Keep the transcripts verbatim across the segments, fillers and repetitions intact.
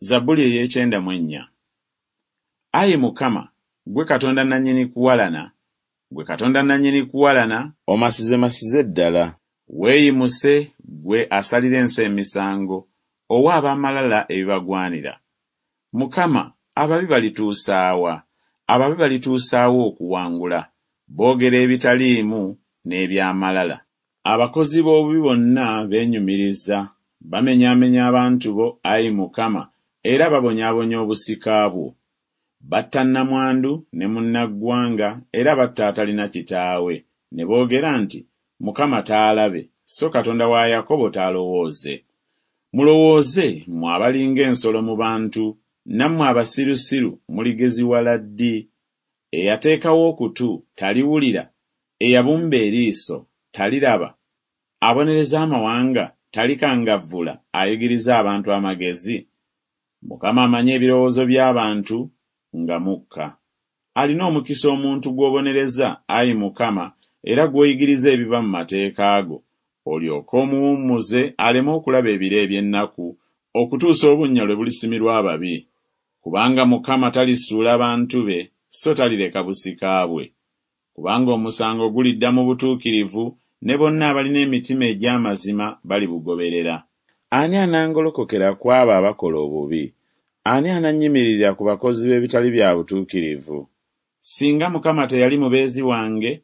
Zabbuli ey'ekyenda mu ennya. Ayi Mukama, ggwe Katonda nannyini kuwalana, ggwe Katonda nannyini kuwalana, Omasizemasize ddala. Weeyimuse ggwe asalira ensi emisango, owe ab'amalala ebibagwanira. Mukama, ababi balituusa wa? Ababi balituusa wa okuwangula? Boogera ebitaliimu n'eby'amalala. Abakozi b'obubi bonna beenyumiriza, bamenyaamenya abantu bo, ayi Mukama, era babonyaabonya obusika bwo. Batta nnamwandu ne munnaggwanga, era batta atalina kitaawe, ne boogera nti, Mukama taalabe, so Katonda wa Yakobo taalowooze. Mulowooze, mmwe abalinga ensolo mu bantu, nammwe abasirusiru muligeziwala ddi? Eyateekawo okutu taliwulira? Eyabumba eriiso taliraba? Abonereza amawanga talikangavvula, ayigiriza abantu amagezi? Mukama amanyi ebirowoozo by'abantu nga mukka. Alina omukisa omuntu gw'obonereza, ayi Mukama, era gw'oyigiriza ebiva mu mateeka go, olyoke omuwummuze aleme okulaba ebiro eby'ennaku, okutuusa obunnya lwe bulisimirwa ababi. Kubanga Mukama talisuula bantu be, so talireka busika bwe. Kubanga omusango gulidda mu butuukirivu, ne bonna abalina emitima egy'amazima balibugoberera. Ani anangolokokera ku abo abakola obubi? Ani anannyimirira ku bakozi b'ebitali bya butuukirivu? Singa Mukama teyali mubeezi wange,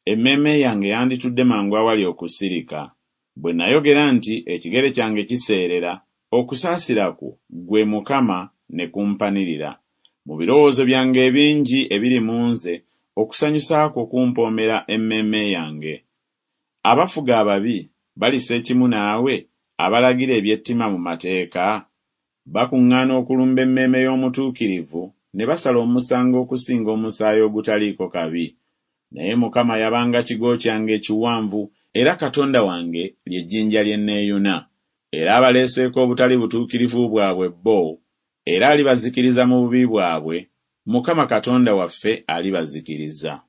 emmeeme yange yanditudde mangu awali okusirika. Bwe nayogera nti, Ekigere kyange kiseerera, okusaasira kwo, ggwe Mukama, ne kumpanirira. Mu birowoozo byange ebingi ebiri mu nze, okusanyusa kwo kumpoomera emmeeme yange. Abafuga ababi balissa ekimu naawe, abalagira eby'ettima mu mateeka? Bakuŋŋaana okulumba emmeeme y'omutuukirivu, ne basala omusango okusinga omusaayi ogutaliiko kabi. Naye Mukama yabanga kigo kyange ekiwanvu, era Katonda wange lye jjinja lye nneeyuna. Era abaleeseeko obutali butuukirivu bwabwe bo, era alibazikiriza mu bubi bwabwe, Mukama Katonda waffe alibazikiriza.